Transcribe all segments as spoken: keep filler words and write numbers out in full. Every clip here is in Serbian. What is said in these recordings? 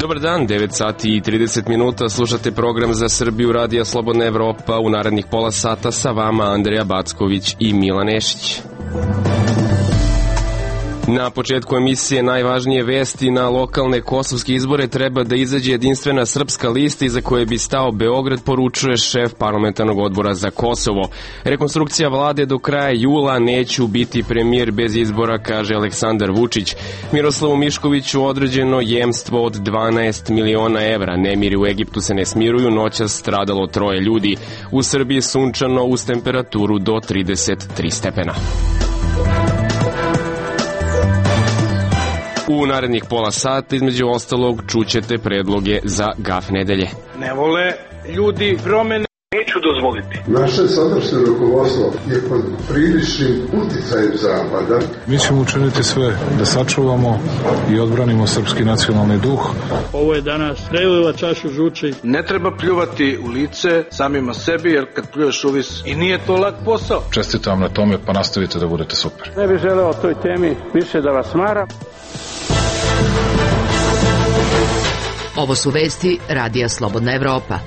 Dobar dan, devet sati i trideset minuta, slušate program Za Srbiju Radija Slobodna Evropa. U narednih pola sata sa vama Andreja Backović i Milan Nešić. Na početku emisije najvažnije vesti. Na lokalne kosovske izbore treba da izađe jedinstvena srpska lista iza koje bi stao Beograd, poručuje šef parlamentarnog odbora za Kosovo. Rekonstrukcija vlade do kraja jula, neću biti premijer bez izbora, kaže Aleksandar Vučić. Miroslavu Miškoviću određeno jemstvo od dvanaest miliona evra. Nemiri u Egiptu se ne smiruju, noćas stradalo troje ljudi. U Srbiji sunčano uz temperaturu do trideset tri stepena. U narednih pola sata, između ostalog, čućete predloge za gaf nedelje. Ne vole ljudi promene, neću dozvoliti. Naše sadašnje rukovodstvo je pod priličnim uticajem Zapada. Mi ćemo učiniti sve da sačuvamo i odbranimo srpski nacionalni duh. Ovo je danas preliva čašu žuči. Ne treba pljuvati u lice samima sebi, jer kad pljuješ uvis i nije to lak posao. Čestitam vam na tome, pa nastavite da budete super. Ne bih želeo o toj temi više da vas maram. Ovo su vesti Radija Slobodna Evropa.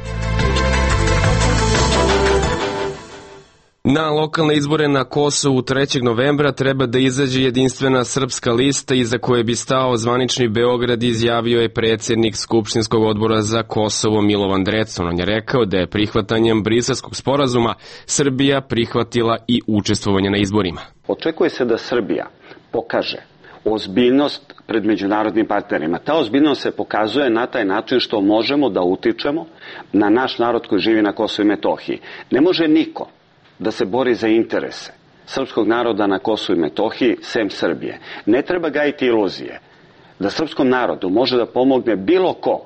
Na lokalne izbore na Kosovu trećeg novembra treba da izađe jedinstvena srpska lista iza koje bi stao zvanični Beograd, izjavio je predsjednik Skupštinskog odbora za Kosovo Milovan Drecun. On je rekao da je prihvatanjem Briselskog sporazuma Srbija prihvatila i učestvovanje na izborima. Očekuje se da Srbija pokaže ozbiljnost pred međunarodnim partnerima. Ta ozbiljnost se pokazuje na taj način što možemo da utičemo na naš narod koji živi na Kosovu i Metohiji. Ne može niko da se bori za interese srpskog naroda na Kosovu i Metohiji sem Srbije. Ne treba gajiti iluzije da srpskom narodu može da pomogne bilo ko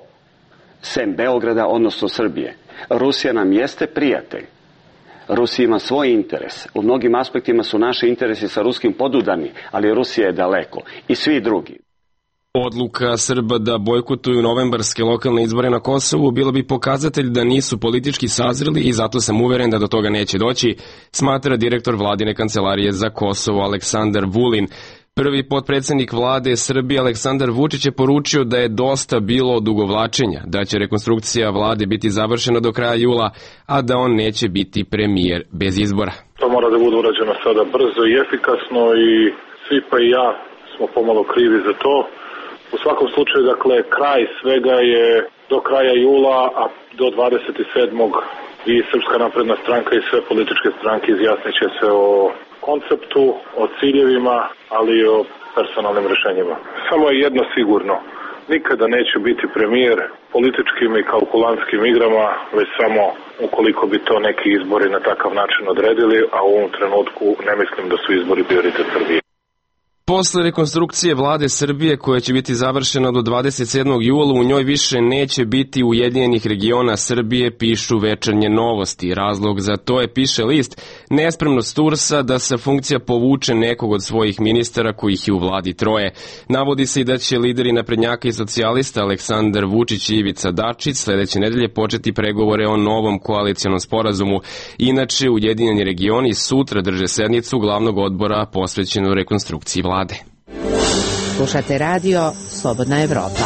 sem Beograda, odnosno Srbije. Rusija nam jeste prijatelj. Rusija ima svoj interes. U mnogim aspektima su naši interesi sa ruskim podudani, ali Rusija je daleko. I svi drugi. Odluka Srba da bojkotuju novembarske lokalne izbore na Kosovu bila bi pokazatelj da nisu politički sazreli i zato sam uveren da do toga neće doći, smatra direktor vladine kancelarije za Kosovo Aleksandar Vulin. Prvi potpredsjednik vlade Srbije Aleksandar Vučić je poručio da je dosta bilo odugovlačenja, da će rekonstrukcija vlade biti završena do kraja jula, a da on neće biti premijer bez izbora. To mora da bude urađeno sada brzo i efikasno i svi pa i ja smo pomalo krivi za to. U svakom slučaju, dakle, kraj svega je do kraja jula, a do dvadeset sedmog i Srpska napredna stranka i sve političke stranke izjasnit će se o konceptu, o ciljevima, ali i o personalnim rešenjima. Samo je jedno sigurno, nikada neće biti premijer političkim i kalkulantskim igrama, već samo ukoliko bi to neki izbori na takav način odredili, a u ovom trenutku ne mislim da su izbori prioritet Srbije. Posle rekonstrukcije vlade Srbije, koja će biti završena do dvadeset sedmog jula, u njoj više neće biti Ujedinjenih regiona Srbije, pišu Večernje novosti. Razlog za to je, piše list, nespremnost Tursa da se funkcija povuče nekog od svojih ministara, kojih je u vladi troje. Navodi se i da će lideri naprednjaka i socijalista Aleksandar Vučić i Ivica Dačić sledeće nedelje početi pregovore o novom koalicijonom sporazumu. Inače, Ujedinjeni regioni sutra drže sednicu glavnog odbora posvećenu rekonstrukciji vlade. Slušate radio Slobodna Evropa.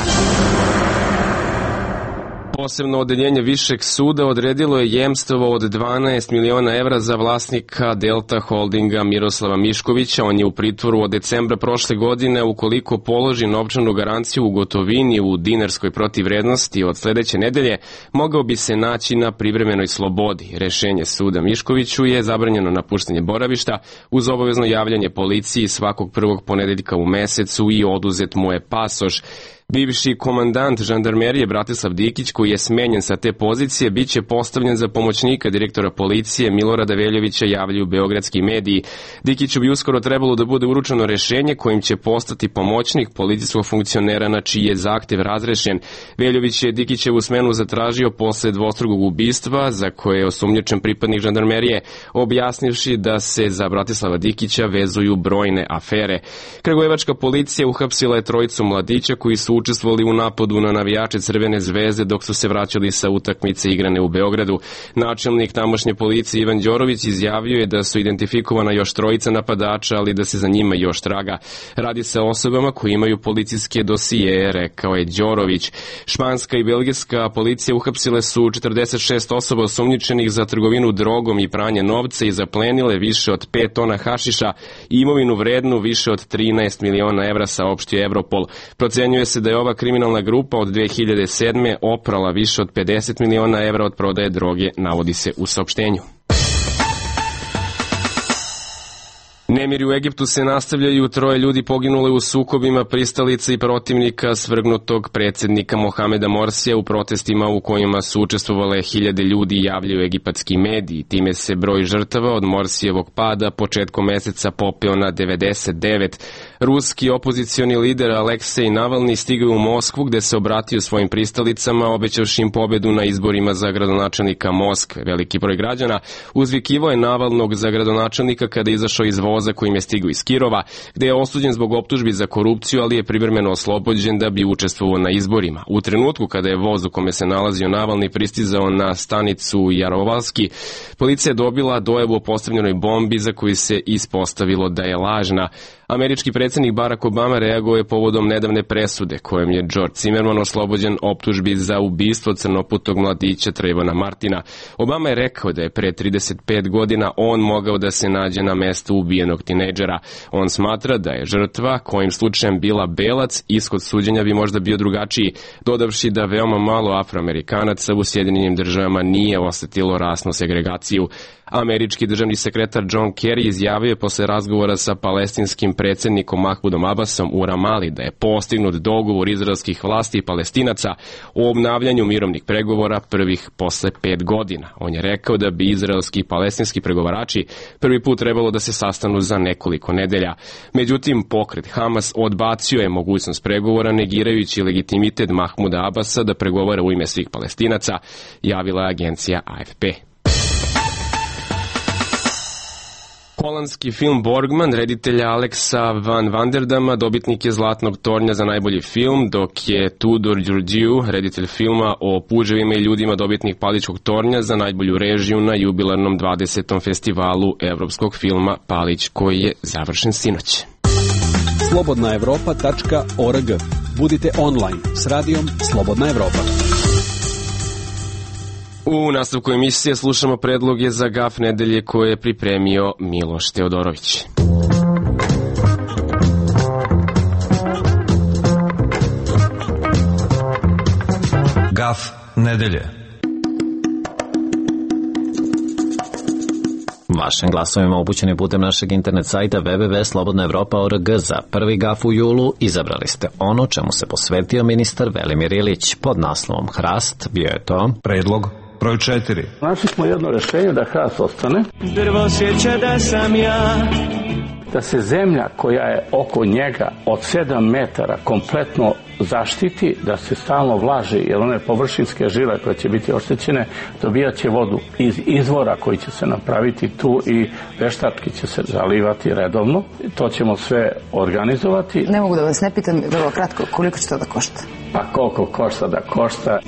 Posebno odeljenje Višeg suda odredilo je jemstvo od dvanaest miliona evra za vlasnika Delta Holdinga Miroslava Miškovića. On je u pritvoru od decembra prošle godine ukoliko položi novčanu garanciju u gotovini u dinarskoj protivvrednosti od sledeće nedelje, mogao bi se naći na privremenoj slobodi. Rešenje suda Miškoviću je zabranjeno napuštanje boravišta uz obavezno javljanje policiji svakog prvog ponedeljka u mesecu i oduzet mu je pasoš. Bivši komandant žandarmerije Bratislav Dikić, koji je smenjen sa te pozicije, bit će postavljen za pomoćnika direktora policije Milorada Veljovića, javljaju beogradski mediji. Dikiću bi uskoro trebalo da bude uručeno rešenje kojim će postati pomoćnik policijskog funkcionera na čiji je zahtev razrešen. Veljović je Dikićevu smenu zatražio posle dvostrukog ubistva za koje je osumnjičen pripadnik žandarmerije, objasnivši da se za Bratislava Dikića vezuju brojne afere. Kragujevačka policija uhapsila je trojicu mladića koji su učestvovali u napadu na navijače Crvene zvezde dok su se vraćali sa utakmice igrane u Beogradu. Načelnik tamošnje policije Ivan Đorović izjavio je da su identifikovana još trojica napadača, ali da se za njima još traga. Radi se o osobama koji imaju policijske dosijeje, rekao je Đorović. Španska i belgijska policija uhapsile su četrdeset šest osoba osumnjičenih za trgovinu drogom i pranje novca i zaplenile više od pet tona hašiša i imovinu vrednu više od trinaest miliona evra, saopštio Europol. Procenjuje se da je ova kriminalna grupa od dve hiljade sedme oprala više od pedeset miliona evra od prodaje droge, navodi se u saopštenju. Nemiri u Egiptu se nastavljaju, troje ljudi poginule u sukobima pristalica i protivnika svrgnutog predsjednika Mohameda Morsija u protestima u kojima su učestvovale hiljade ljudi, javljaju egipatski mediji. Time se broj žrtava od Morsijevog pada početkom meseca popeo na devedeset devet. Ruski opozicioni lider Aleksej Navalni stigao u Moskvu gde se obratio svojim pristalicama, obećavši im pobedu na izborima za gradonačelnika Moskve. Veliki broj građana uzvikivao je Navalnog za gradonačelnika kada je izašao iz voza kojim je stigao iz Kirova, gde je osuđen zbog optužbi za korupciju, ali je privremeno oslobođen da bi učestvovao na izborima. U trenutku kada je voz u kome se nalazio Navalni pristizao na stanicu Jarovalski, policija je dobila dojavu o postavljenoj bombi za koju se ispostavilo da je lažna. Američki predsjednik Barack Obama reagovao je povodom nedavne presude kojom je George Zimmerman oslobođen optužbi za ubistvo crnoputog mladića Trayvona Martina. Obama je rekao da je pre trideset pet godina on mogao da se nađe na mestu ubijenog tinejdžera. On smatra da je žrtva, kojim slučajem bila belac, ishod suđenja bi možda bio drugačiji, dodavši da veoma malo Afroamerikanaca u Sjedinjenim državama nije osetilo rasnu segregaciju. Američki državni sekretar John Kerry izjavio je posle razgovora sa palestinskim predsjednikom Mahmudom Abbasom u Ramali da je postignut dogovor izraelskih vlasti i Palestinaca o obnavljanju mirovnih pregovora prvih posle pet godina. On je rekao da bi izraelski i palestinski pregovarači prvi put trebalo da se sastanu za nekoliko nedelja. Međutim, pokret Hamas odbacio je mogućnost pregovora, negirajući legitimitet Mahmuda Abbasa da pregovara u ime svih Palestinaca, javila je agencija A F P. Holandski film Borgman, reditelja Alexa van Vanderdama, dobitnik je Zlatnog tornja za najbolji film, dok je Tudor Đurđiju, reditelj filma o puževima i ljudima, dobitnik Palićkog tornja za najbolju režiju na jubilarnom dvadesetom festivalu evropskog filma Palić, koji je završen sinoć. slobodna evropa tačka org. Budite online s radijom Slobodna Evropa. U nastavku emisije slušamo predloge za gaf nedelje koje je pripremio Miloš Teodorović. Gaf nedelje. Vašim glasovima upućeni putem našeg internet sajta w w w tačka slobodna evropa tačka org za prvi gaf u julu izabrali ste ono čemu se posvetio ministar Velimir Ilić. Pod naslovom Hrast bio je to predlog broj četiri. Našli smo jedno rešenje da hrast ostane. Drvo sjeća da sam ja. Da se zemlja koja je oko njega od sedam metara kompletno zaštiti, da se stalno vlaži, jer one površinske žile koje će biti oštećene dobijat će vodu iz izvora koji će se napraviti tu i veštački će se zalivati redovno. To ćemo sve organizovati. Ne mogu da vas ne pitam, vrlo kratko, koliko će to da košta? Pa koliko košta da košta.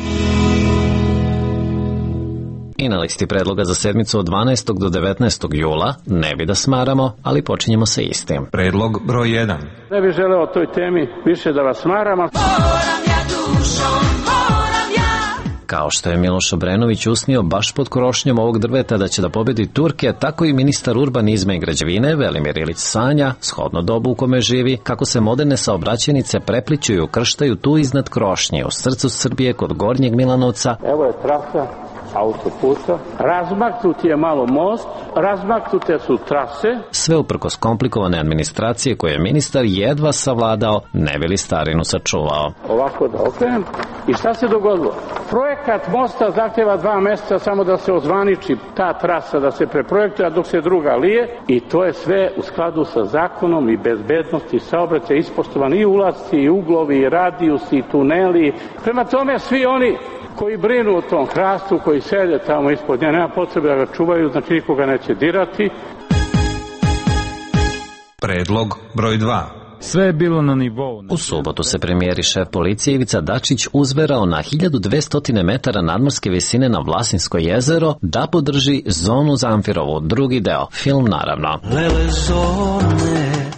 I na listi predloga za sedmicu od dvanaestog do devetnaestog jula, ne bi da smaramo, ali počinjemo sa istim. Predlog broj jedan. Ne bih želeo o toj temi više da vas smaramo. Moram ja dušom, moram ja. Kao što je Miloš Obrenović usnio baš pod krošnjom ovog drveta da će da pobedi Turke, tako i ministar urbanizma i građevine Velimir Ilić sanja, shodno dobu u kome živi, kako se moderne saobraćajnice prepliću i ukrštaju tu iznad krošnje, u srcu Srbije kod Gornjeg Milanovca. Evo je trasa autoputa, razmaknut je malo most, razmaknute su trase. Sve uprkos komplikovane administracije koje je ministar jedva savladao, ne bi li starinu sačuvao. Ovako da okrenem. I šta se dogodilo? Projekat mosta zahtjeva dva mjeseca samo da se ozvaniči ta trasa, da se preprojektuje, dok se druga lije, i to je sve u skladu sa zakonom i bezbednosti saobraćaja ispoštovani i ulazci, i uglovi, i radijusi, i tuneli. Prema tome svi oni koji brinu o tom hrastu, koji sede tamo ispod nje, nema potrebe da ga čuvaju, znači nikoga neće dirati. Predlog broj dva. Sve je bilo na nivou. U subotu se premijer i šef policije Ivica Dačić uzverao na hiljadu dvesta metara nadmorske visine na Vlasinsko jezero da podrži Zonu Zamfirovu, drugi deo, film naravno.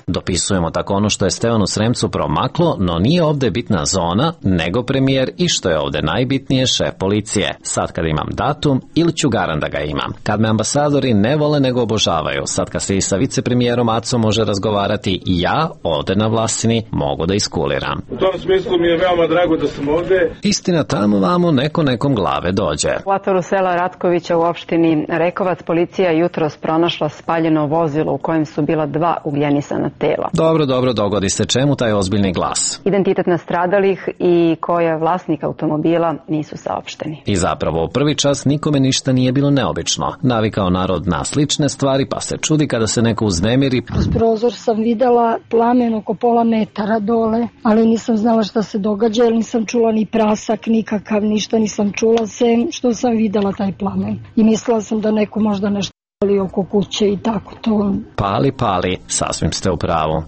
Dopisujemo tako ono što je Stevanu Sremcu promaklo, no nije ovde bitna zona, nego premijer i što je ovde najbitnije šef policije. Sad kad imam datum, ili ću garan da ga imam. Kad me ambasadori ne vole nego obožavaju, sad kad se i sa vicepremijerom Acom može razgovarati, ja ovde na Vlasini mogu da iskuliram. U tom smislu mi je veoma drago da sam ovde. Istina, tamo vamo neko nekom glave dođe. U atvoru sela Ratkovića u opštini Rekovac policija jutros pronašla spaljeno vozilo u kojem su bila dva ugljenisana tela. Dobro, dobro, dogodi se. Čemu taj ozbiljni glas? Identitet nastradalih i ko je vlasnik automobila nisu saopšteni. I zapravo u prvi čas nikome ništa nije bilo neobično. Navikao narod na slične stvari, pa se čudi kada se neko uznemiri. Kroz prozor sam videla plamen oko pola metara dole, ali nisam znala šta se događa, jer nisam čula ni prasak, nikakav, ništa nisam čula, sem što sam videla taj plamen. I mislila sam da neko možda nešto pali oko kuće i tako to. Pali, pali, sasvim ste u pravu.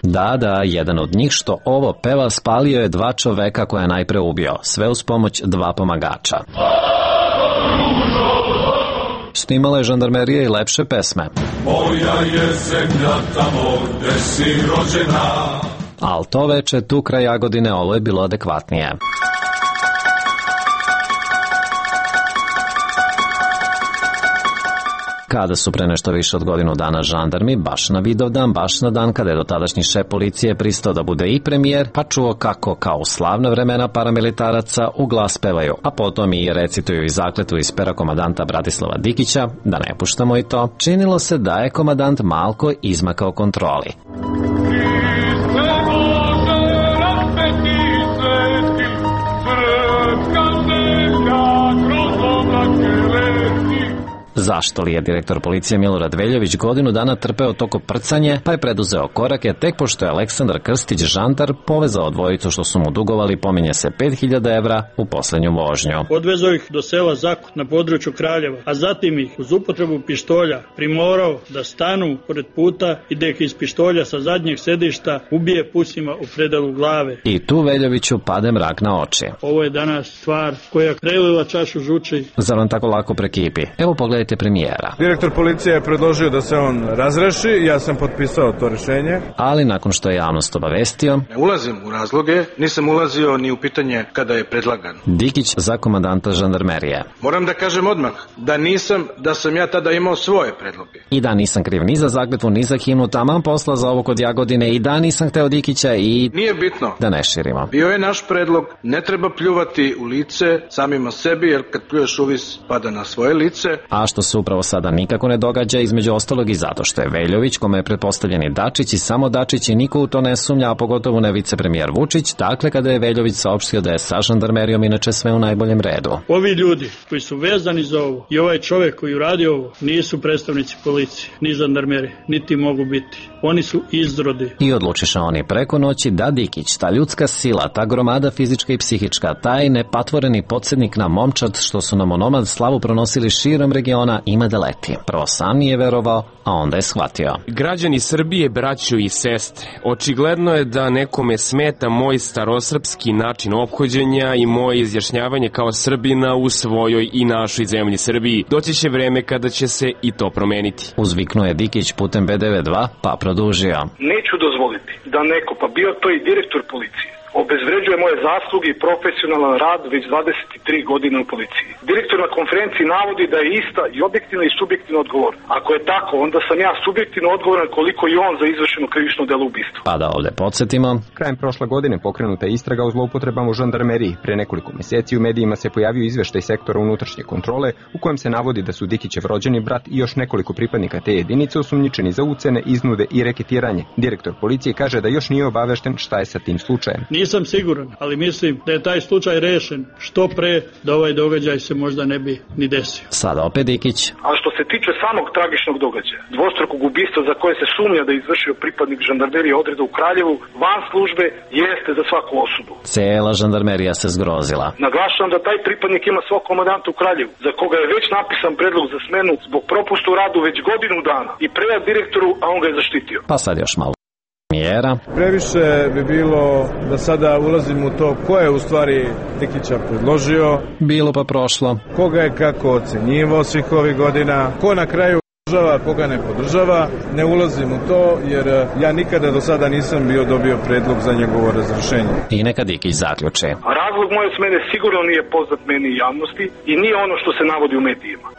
Da, da, jedan od njih što ovo peva spalio je dva čoveka koja je najpre ubio, sve uz pomoć dva pomagača. Snimala je žandarmerija i lepše pesme. Moja je zemlja tamo gde si rođena. Al to veče tu kraj Jagodine ovo je bilo adekvatnije. Kada su pre nešto više od godinu dana žandarmi, baš na Vidovdan, baš na dan kada je dotadašnji šef policije pristao da bude i premijer, pa čuo kako, kao u slavna vremena paramilitaraca, u glas pevaju, a potom i recituju i zakletvu iz pera komadanta Bratislava Dikića, da ne puštamo i to, činilo se da je komadant malko izmakao kontroli. Zašto li je direktor policije Milorad Veljović godinu dana trpeo to koprcanje, pa je preduzeo korake tek pošto je Aleksandar Krstić žandar povezao dvojicu što su mu dugovali, pominje se pet hiljada evra, u poslednju vožnju. Odvezao ih do sela Zakut na području Kraljeva, a zatim ih uz upotrebu pištolja primorao da stanu pored puta i da ih iz pištolja sa zadnjeg sedišta ubije pucima u predelu glave. I tu Veljoviću pade mrak na oči. Ovo je danas stvar koja prelila čašu žuči. Zar vam tako lako prekipi? Evo pogledajte premijera. Direktor policije je predložio da se on razreši, ja sam potpisao to rešenje. Ali nakon što je javnost obavestio... Ne ulazim u razloge, nisam ulazio ni u pitanje kada je predlagan. Dikić za komandanta žandarmerije. Moram da kažem odmah da nisam, da sam ja tada imao svoje predloge. I da nisam kriv ni za zakletvu, ni za himnu, taman posla za ovo kod Jagodine, i da nisam hteo Dikića i... Nije bitno. Da ne širimo. Bio je naš predlog, ne treba pljuvati u lice samima sebi, jer kad pljuješ uvis pada na svoje lice. A što se upravo sada nikako ne događa, između ostalog i zato što je Veljović, kome je pretpostavljeni Dačić i samo Dačić i niko u to ne sumnja, a pogotovo ne vicepremijer Vučić, dakle kada je Veljović saopštio da je sa žandarmerijom inače sve u najboljem redu. Ovi ljudi koji su vezani za ovo i ovaj čovek koji uradi ovo nisu predstavnici policije, ni žandarmerije, niti mogu biti. Oni su izrodi. I odlučiše oni preko noći da Dikić, ta ljudska sila, ta gromada fizička i psihička, taj nepatvoreni podsjednik na momčad što su nam onomad slavu pronosili širom regiona, ima da leti. Prvo sam nije verovao, a onda je shvatio. Građani Srbije, braćo i sestre, očigledno je da nekome smeta moj starosrpski način ophođenja i moje izjašnjavanje kao Srbina u svojoj i našoj zemlji Srbiji. Doći će vreme kada će se i to promeniti. Uzviknuo je Dikić putem B devedeset dva, pa produžio. Neću dozvoliti da neko, pa bio to i direktor policije, obezvređuje moje zasluge i profesionalan rad već dvadeset tri godine u policiji. Direktor na konferenciji navodi da je ista i objektivna i subjektivna odgovor. Ako je tako, onda sam ja subjektivno odgovoran koliko i on za izvršeno krivično delo ubistva. Pa da ovde podsjetimo. Krajem prošle godine pokrenuta je istraga o zloupotrebama u žandarmeriji. Pre nekoliko meseci u medijima se pojavio izveštaj sektora unutrašnje kontrole u kojem se navodi da su Dikićev rođeni brat i još nekoliko pripadnika te jedinice osumnjičeni za ucene, iznude i reketiranje. Direktor policije kaže da još nije obavešten šta je sa tim slučajem. Nisam siguran, ali mislim da je taj slučaj rešen što pre, da ovaj događaj se možda ne bi ni desio. Sada opet Dikić. A što se tiče samog tragičnog događaja, dvostrukog ubistva za koje se sumnja da je izvršio pripadnik žandarmerije odreda u Kraljevu, van službe, jeste za svaku osudu. Cijela žandarmerija se zgrozila. Naglašavam da taj pripadnik ima svog komandanta u Kraljevu, za koga je već napisan predlog za smenu zbog propusta u radu već godinu dana i predao direktoru, a on ga je zaštitio. Pa sad još malo. Mjera. Previše bi bilo da sada ulazim u to ko je u stvari Dikića predložio. Bilo pa prošlo. Koga je kako ocenjivo svih ovih godina, ko na kraju podržava, koga ne podržava. Ne ulazim u to jer ja nikada do sada nisam bio dobio predlog za njegovo razrešenje. I neka Dikić zaključe. A razlog moje smene sigurno nije poznat meni i javnosti i nije ono što se navodi u medijima.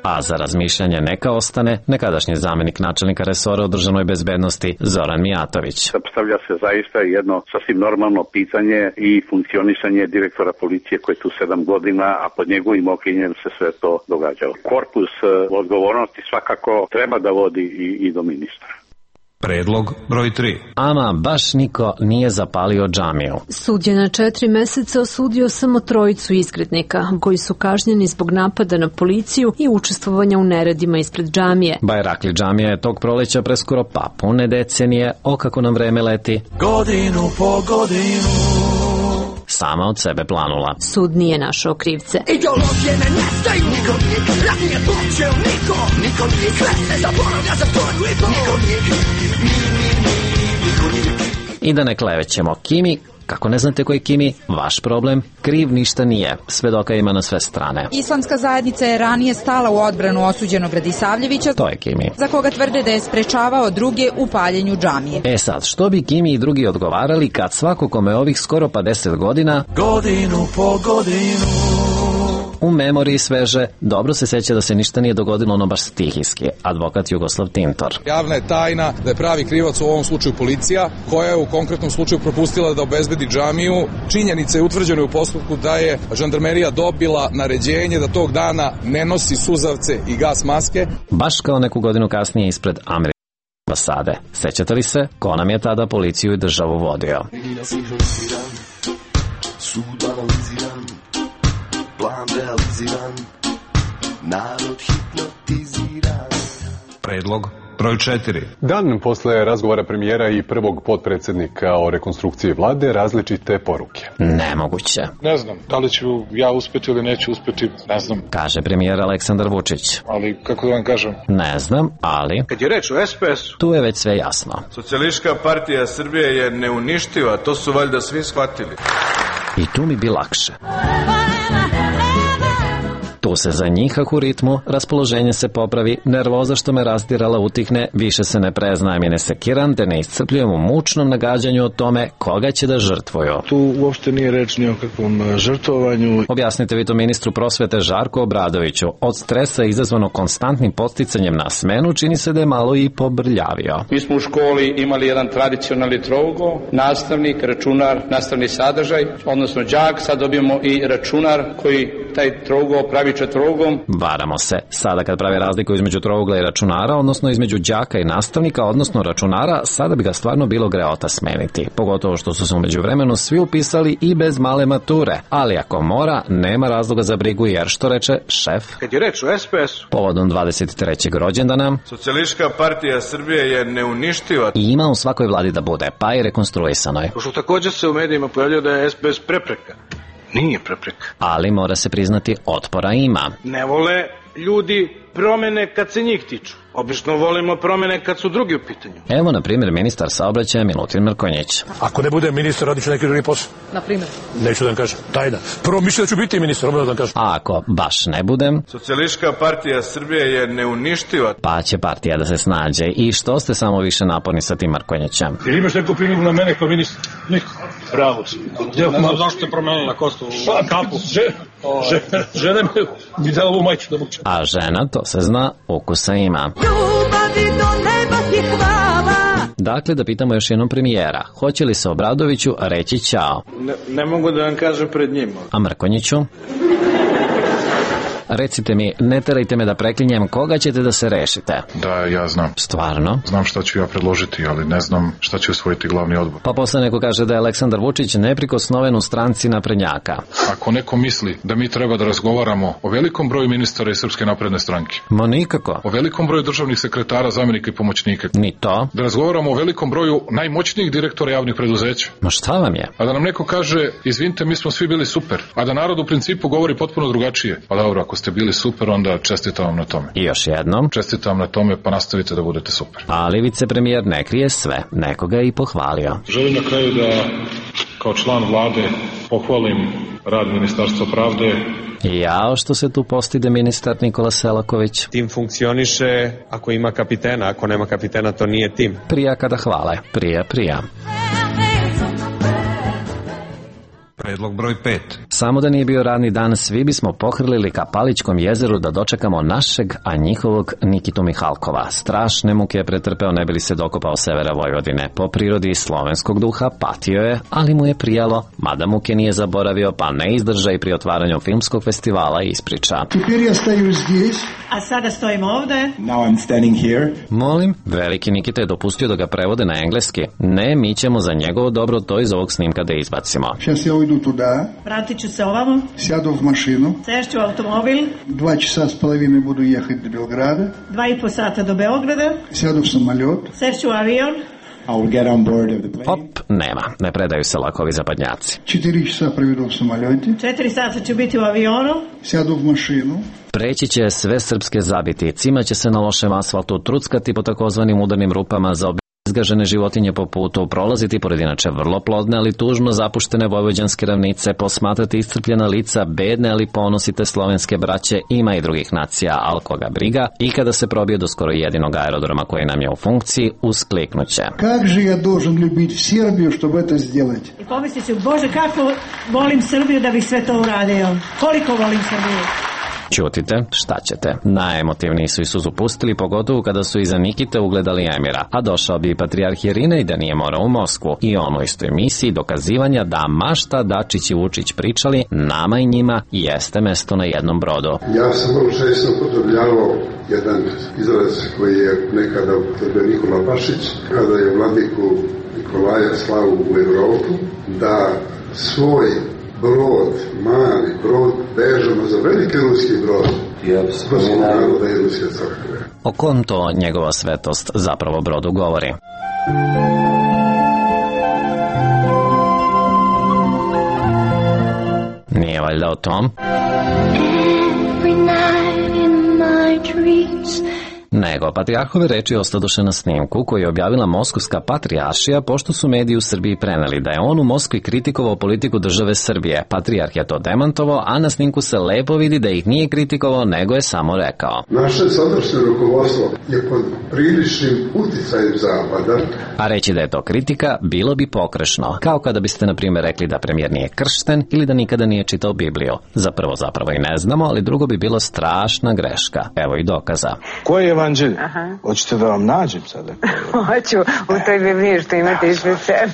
A za razmišljanje neka ostane nekadašnji zamjenik načelnika resora o državnoj bezbednosti Zoran Mijatović. Postavlja se zaista jedno sasvim normalno pitanje i funkcionisanje direktora policije koji je tu sedam godina, a pod njegovim okriljem se sve to događalo. Korpus odgovornosti svakako treba da vodi i, i do ministra. Predlog broj tri. Ama baš niko nije zapalio džamiju. Sud je na četiri meseca osudio samo trojicu izgrednika, koji su kažnjeni zbog napada na policiju i učestvovanja u neredima ispred džamije. Bajrakli džamija je tog proleća preskoro pa pune decenije, o kako nam vreme leti. Godinu po godinu. Sama od sebe planula. Sud nije našao krivce. Ideologije ne nestaju, niko nije, rat nije počeo, niko, niko nije, sve se zaboravlja za koju i pol. Niko nije, mi, mi, mi, niko nije. I da ne klevećemo Kimi, kako ne znate ko je Kimi, vaš problem, kriv ništa nije. Svedoka ima na sve strane. Islamska zajednica je ranije stala u odbranu osuđenog Radisavljevića, to je Kimi, za koga tvrde da je sprečavao druge u paljenju džamije. E sad, što bi Kimi i drugi odgovarali kad svako kome ovih skoro pa deset godina, godinu po godinu, u memoriji sveže, dobro se seća da se ništa nije dogodilo ono baš stihijski, advokat Jugoslav Tintor. Javna je tajna da je pravi krivac u ovom slučaju policija, koja je u konkretnom slučaju propustila da obezbedi džamiju. Činjenice je utvrđeno u postupku da je žandarmerija dobila naređenje da tog dana ne nosi suzavce i gas maske. Baš kao neku godinu kasnije ispred američke ambasade. Sećate li se ko nam je tada policiju i državu vodio? Plan realiziran, narod hipnotiziran. Predlog broj četiri. Dan posle razgovora premijera i prvog potpredsjednika o rekonstrukciji vlade, različite poruke. Nemoguće. Ne znam, da li ću ja uspeti ili neću uspeti, ne znam. Kaže premijer Aleksandar Vučić. Ali, kako da vam kažem? Ne znam, ali... Kad je reč o es pe esu... Tu je već sve jasno. Socijalistička partija Srbije je neuništiva, to su valjda svi shvatili. I tu mi bi lakše. Tu se zanjihah u ritmu, raspoloženje se popravi, nervoza što me razdirala utihne, više se ne preznajem i ne sekiram, te ne iscrpljujem u mučnom nagađanju o tome koga će da žrtvuju. Tu uopšte nije reč ni o kakvom žrtvovanju. Objasnite vi to ministru prosvete Žarku Obradoviću. Od stresa izazvano konstantnim podsticanjem na smenu čini se da je malo i pobrljavio. Mi smo u školi imali jedan tradicionalni trougao, nastavnik, računar, nastavni sadržaj, odnosno đak, sad dobijemo i računar koji taj trougao pravi četvorogom. Varamo se. Sada kad pravi razliku između trougla i računara, odnosno između đaka i nastavnika, odnosno računara, sada bi ga stvarno bilo greota smeniti. Pogotovo što su se umeđu vremenu svi upisali i bez male mature. Ali ako mora, nema razloga za brigu jer što reče šef? Kad je reč o es pe esu... Povodom dvadeset trećeg rođendana... Socijalistička partija Srbije je neuništiva. I ima u svakoj vladi da bude, pa i rekonstruisanoj. Pošto također se u medijima pojavljaju da je es pe es prepreka. Nije prepreka. Ali mora se priznati, otpora ima. Ne vole ljudi promene kad se njih tiču. Obično volimo promene kad su drugi u pitanju. Evo, na primjer, ministar saobraćaja Milutin Mrkonjić. Ako ne bude ministar, radit ću neki drugi posao. Na primjer? Neću da vam kažem, tajna. Prvo mišlja da ću biti ministar, obavno da vam kažem. A ako baš ne budem... Socijalistička partija Srbije je neuništiva. Pa će partija da se snađe. I što ste samo više naporni sa tim Mrkonjićem? Ili imaš neku primjeru na mene kao ministar? Niko. Bravo si. Ne znam zašto ste promenili na kostu kapu. Žena mi dala ovu majču da mučem. A žena, to se zna, ukusa ima. Ljubavi do neba ti hvala. Dakle, da pitamo još jednom premijera. Hoće li se Obradoviću reći ćao? Ne, ne mogu da vam kažem pred njima. A Mrkonjiću? Recite mi, ne terajte me da preklinjem, koga ćete da se rešite? Da, ja znam. Stvarno? Znam šta ću ja predložiti, ali ne znam šta će usvojiti glavni odbor. Pa posle neko kaže da je Aleksandar Vučić neprikosnoven u stranci naprednjaka. Ako neko misli da mi treba da razgovaramo o velikom broju ministara iz Srpske napredne stranke. Ma nikako. O velikom broju državnih sekretara, zamjenika i pomoćnika. Ni to. Da razgovaramo o velikom broju najmoćnijih direktora javnih preduzeća. Ma šta vam je? A da nam neko kaže, izvinite, mi smo svi bili super. A da narod u principu govori potpuno drugačije. Pa dobro, ako ste bili super, onda čestitam vam na tome. I još jednom. Čestitam na tome, pa nastavite da budete super. Ali vicepremijer ne krije sve. Nekoga je i pohvalio. Želim na kraju da, kao član vlade, pohvalim rad Ministarstva pravde. Jao što se tu postide ministar Nikola Selaković. Tim funkcioniše ako ima kapitena, ako nema kapitena to nije tim. Prija kada hvale, prija, prija. Predlog broj pet. Samo da nije bio radni dan, svi bismo pohrlili ka Palićkom jezeru da dočekamo našeg, a njihovog Nikitu Mihalkova. Strašne muke je pretrpeo ne bi li se dokopao severa Vojvodine. Po prirodi slovenskog duha patio je, ali mu je prijalo, mada muke nije zaboravio, pa ne izdrža i pri otvaranju filmskog festivala ispriča. Теперь я стою здесь. A sada stojim ovde. Now I'm standing here. Molim, veliki Nikita je dopustio da ga prevode na engleski. Ne, mi ćemo za njegovo dobro to iz ovog snimka da izbacimo. Сейчас я уйду туда. Vratit ću se ovamo. Сяду в машину. Sešću u automobil. Два часа с половиной буду ехать до Белграда. Dva i po sata do Beograda. Сяду в самолет. Sešću u avion. I will get on board of the plane. Hop, nema, ne predaju se lakovi zapadnjaci. Четыре часа проведу в самолете. Četiri sata ću biti u avionu. Сяду в машину. Preći će sve srpske zabiti, cima će se na lošem asfaltu, truckati po takozvanim udarnim rupama za izgažene životinje po putu, prolaziti pored inače vrlo plodne, ali tužno zapuštene vojvođanske ravnice, posmatrati iscrpljena lica, bedne ali ponosite slovenske braće, ima i drugih nacija, al koga briga, i kada se probije do skoro jedinog aerodroma koji nam je u funkciji, uskliknuće. Как же я должен любить Сербию, чтобы это сделать? I pomislit ću, Bože, kako volim Srbiju da bih sve to uradio. Koliko volim Srbiju. Ćutite, šta ćete? Najemotivniji su i suzu pustili, pogotovo kada su iza Nikite ugledali Emira, a došao bi i patrijarh Irina i da nije morao u Moskvu. I on u istoj misiji dokazivanja da mašta Dačić i Vučić pričali, nama i njima jeste mesto na jednom brodu. Ja sam vrlo često upotrebljavao jedan izraz koji je nekada upotrebio Nikola Pašić, kada je vladiku Nikolaja slao u Evropu, da svoj brod, mali brod, vežemo za veliki ruski brod. Ruskog naroda i ruske crkve. O kom to njegova svetost zapravo brodu govori? Nije valjda o tom? Every night in my dreams. Nego, patrijarhove reči ostadoše na snimku koji je objavila Moskovska patrijaršija pošto su mediji u Srbiji preneli da je on u Moskvi kritikovao politiku države Srbije. Patrijarh je to demantovao, a na snimku se lepo vidi da ih nije kritikovao, nego je samo rekao. Naše sadašnje rukovodstvo je pod priličnim uticajem Zapada. A reći da je to kritika bilo bi pogrešno, kao kada biste na primjer rekli da premijer nije kršten ili da nikada nije čitao Bibliju. Za prvo zapravo i ne znamo, ali drugo bi bilo strašna greška. Evo i dokaza. Koje je evanđelje? Hoćete da vam nađem sada? Hoću, u toj Bibliji što imate ispred sebe.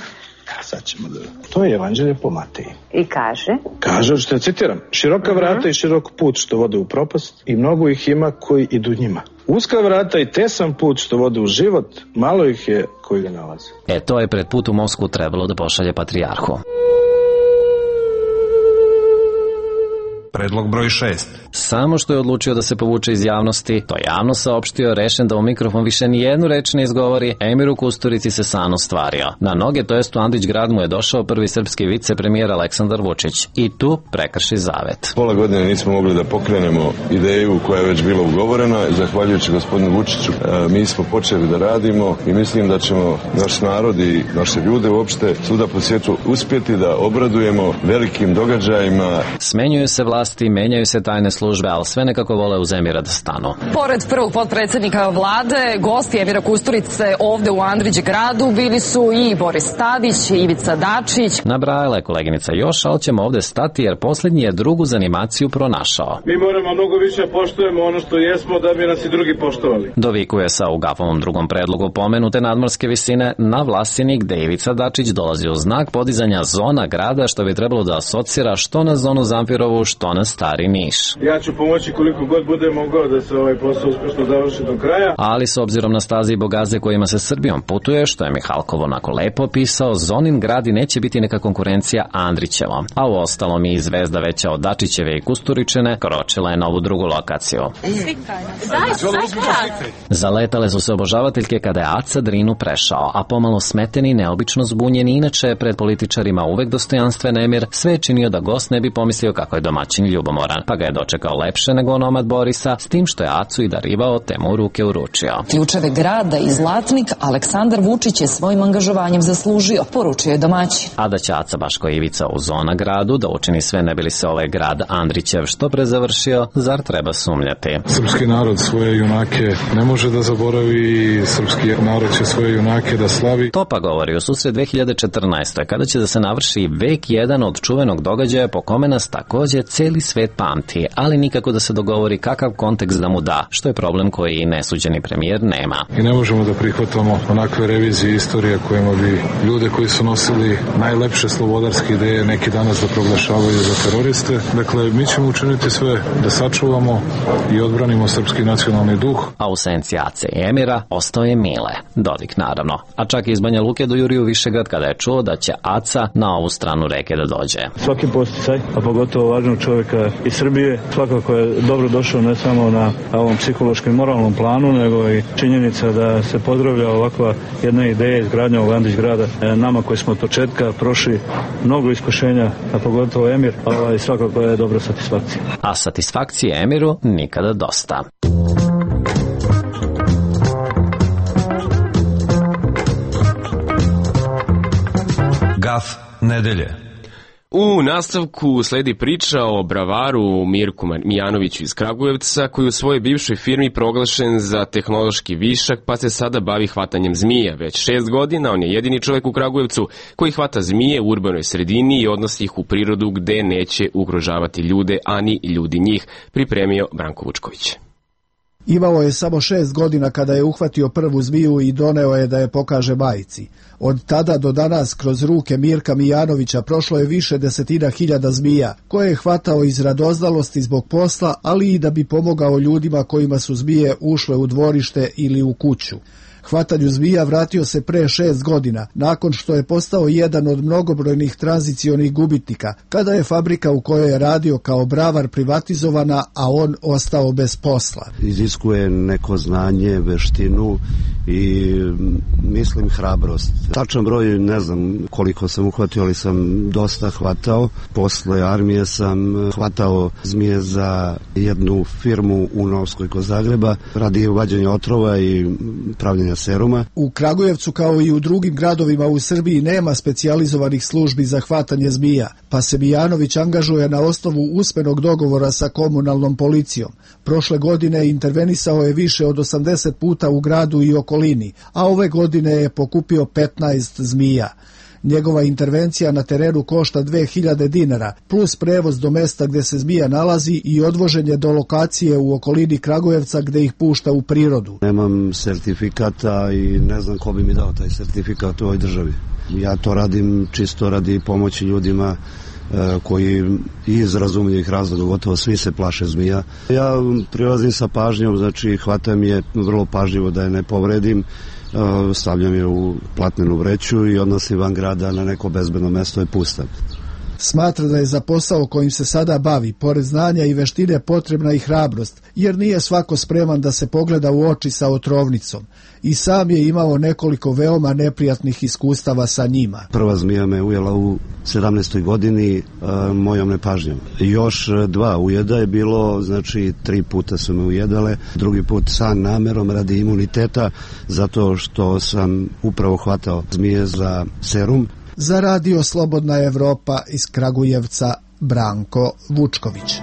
Sad ćemo da... To je evanđelje po Mateji. I kaže? Kaže, što ja citiram, široka vrata i širok put što vode u propast i mnogo ih ima koji idu njima. Uska vrata i tesan put što vode u život, malo ih je koji ga nalaze. E, to je pred put u Moskvu trebalo da pošalje patrijarhu. Predlog broj šest. Samo što je odlučio da se povuče iz javnosti, to javno saopštio, rešen da u mikrofon više ni jednu reč ne izgovori, Emiru Kusturici se san ostvario. Na noge, to jest u Andrić grad mu je došao prvi srpski vicepremijer Aleksandar Vučić. I tu prekrši zavet. Pola godine nismo mogli da pokrenemo ideju koja je već bila ugovorena. Zahvaljujući gospodinu Vučiću, mi smo počeli da radimo i mislim da ćemo naš narod i naše ljude uopšte svuda po svijetu uspjeti da obradujemo velikim događajima. Smenjuju se vlasti, menjaju se tajne službe, ali sve nekako vole uz Emira da stanu. Pored prvog potpredsjednika vlade, gosti Emira Kusturice ovde u Andrić gradu bili su i Boris Tadić, i Ivica Dačić. Nabrajala je koleginica još, ali ćemo ovde stati jer posljednji je drugu zanimaciju pronašao. Mi moramo mnogo više poštujemo ono što jesmo da bi nas i drugi poštovali. Dovikuje sa u Gafovom drugom predlogu pomenute nadmorske visine na Vlasinik gde Ivica Dačić dolazi u znak podizanja zona grada što bi trebalo da asocira što na zonu Zampirovu, što na Stari Niš. Ja ja ću pomoći koliko god bude mogao da se ovaj posao uspešno završi do kraja. Ali s obzirom na staze i bogaze kojima se Srbijom putuje, što je Mihalkov onako lepo opisao, Zonin grad i neće biti neka konkurencija Andrićevom. A u ostalom i zvezda veća od Dačićeve i Kusturičine kročila je na ovu drugu lokaciju. Zaletale su se obožavateljke kada je Aca Drinu prešao, a pomalo smeteni i neobično zbunjeni, inače pred političarima uvek dostojanstven Emir, sve je činio da gost ne bi pomislio kako je domaćin ljubomoran, pa ga je dočekao lepše nego onomad Borisa, s tim što je Acu i darivao te mu u ruke uručio. Ključeve grada i Zlatnik Aleksandar Vučić je svojim angažovanjem zaslužio, poručio je domaćin. A da će Aca Baško Ivica u Zona gradu da učini sve ne bi li se ovaj grad Andrićev što pre završio, zar treba sumnjati? Srpski narod svoje junake ne može da zaboravi, srpski narod će svoje junake da slavi. To pa govori u susret dve hiljade četrnaestoj kada će da se navrši vek jedan od čuvenog događaja po kome nas takođe celi svet pamti, ali nikako da se dogovori kakav kontekst da mu da, što je problem koji i nesuđeni premijer nema. I ne možemo da prihvatamo onakve revizije istorije kojima bi ljude koji su nosili najlepše slobodarske ideje neki danas da proglašavaju za teroriste. Dakle, mi ćemo učiniti sve da sačuvamo i odbranimo srpski nacionalni duh. A u senci Ace i Emira ostao je Mile, Dodik naravno, a čak i iz Banja Luke do Juriju Višegrad kada je čuo da će Aca na ovu stranu reke da dođe. Svaki posticaj, a pogotovo važnog čovjeka iz Srbije, svakako je dobro došao ne samo na ovom psihološkom i moralnom planu, nego i činjenica da se pozdravlja ovakva jedna ideja izgradnja ovog Andrić grada. Nama koji smo od početka prošli mnogo iskušenja, a pogotovo Emir, ovaj, svakako je dobra satisfakcija. A satisfakcije Emiru nikada dosta. Gaf nedelje. U nastavku sledi priča o bravaru Mirku Mijanoviću iz Kragujevca, koji u svojoj bivšoj firmi proglašen za tehnološki višak, pa se sada bavi hvatanjem zmija. Već šest godina on je jedini čovjek u Kragujevcu koji hvata zmije u urbanoj sredini i odnosi ih u prirodu gde neće ugrožavati ljude, a ni ljudi njih, pripremio Branko Vučković. Imao je samo šest godina kada je uhvatio prvu zmiju i doneo je da je pokaže majici. Od tada do danas kroz ruke Mirka Mijanovića prošlo je više desetina hiljada zmija, koje je hvatao iz radoznalosti zbog posla, ali i da bi pomogao ljudima kojima su zmije ušle u dvorište ili u kuću. Hvatanju zmija vratio se pre šest godina, nakon što je postao jedan od mnogobrojnih tranzicionih gubitnika, kada je fabrika u kojoj je radio kao bravar privatizovana, a on ostao bez posla. Iziskuje neko znanje, veštinu i mislim hrabrost. Tačan broj ne znam koliko sam uhvatio, ali sam dosta hvatao. Posle armije sam hvatao zmije za jednu firmu u Novskoj kod Zagreba, radi uvađanja otrova i pravljenja seruma. U Kragujevcu kao i u drugim gradovima u Srbiji nema specijalizovanih službi za hvatanje zmija, pa se Mijanović angažuje na osnovu usmenog dogovora sa komunalnom policijom. Prošle godine intervenisao je više od osamdeset puta u gradu i okolini, a ove godine je pokupio petnaest zmija. Njegova intervencija na terenu košta dve hiljade dinara, plus prevoz do mesta gde se zmija nalazi i odvoženje do lokacije u okolini Kragujevca gde ih pušta u prirodu. Nemam sertifikata i ne znam ko bi mi dao taj sertifikat u ovoj državi. Ja to radim čisto radi pomoći ljudima koji iz razumljivih razloga, gotovo svi se plaše zmija. Ja prilazim sa pažnjom, znači hvatam je vrlo pažljivo da je ne povredim, stavljam je u platnenu vreću i odnosim van grada na neko bezbedno mesto i pustam. Smatra da je za posao kojim se sada bavi, pored znanja i veštine, potrebna i hrabrost, jer nije svako spreman da se pogleda u oči sa otrovnicom. I sam je imao nekoliko veoma neprijatnih iskustava sa njima. Prva zmija me ujela u sedamnaestoj godini a, mojom nepažnjom. Još dva ujeda je bilo, znači tri puta su me ujedale, drugi put sa namerom radi imuniteta, zato što sam upravo hvatao zmije za serum. Za radio Slobodna Evropa iz Kragujevca, Branko Vučković.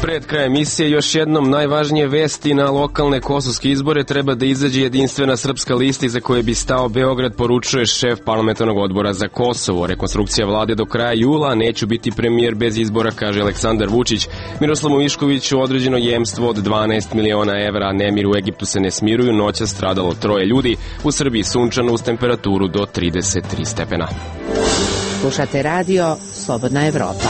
Pred krajem emisije još jednom najvažnije vesti: na lokalne kosovske izbore treba da izađe jedinstvena srpska lista iza koje bi stao Beograd, poručuje šef parlamentarnog odbora za Kosovo. Rekonstrukcija vlade do kraja jula, neću biti premijer bez izbora, kaže Aleksandar Vučić. Miroslavu Miškoviću određeno jemstvo od dvanaest miliona evra. Nemir u Egiptu se ne smiruju, noća stradalo troje ljudi. U Srbiji sunčano uz temperaturu do trideset tri stepena. Slušate radio Slobodna Evropa.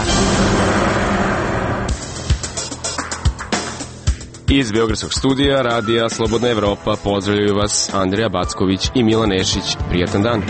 Iz Beogradskog studija Radija Slobodna Evropa pozdravljaju vas Andrija Backović i Milan Nešić. Prijatan dan.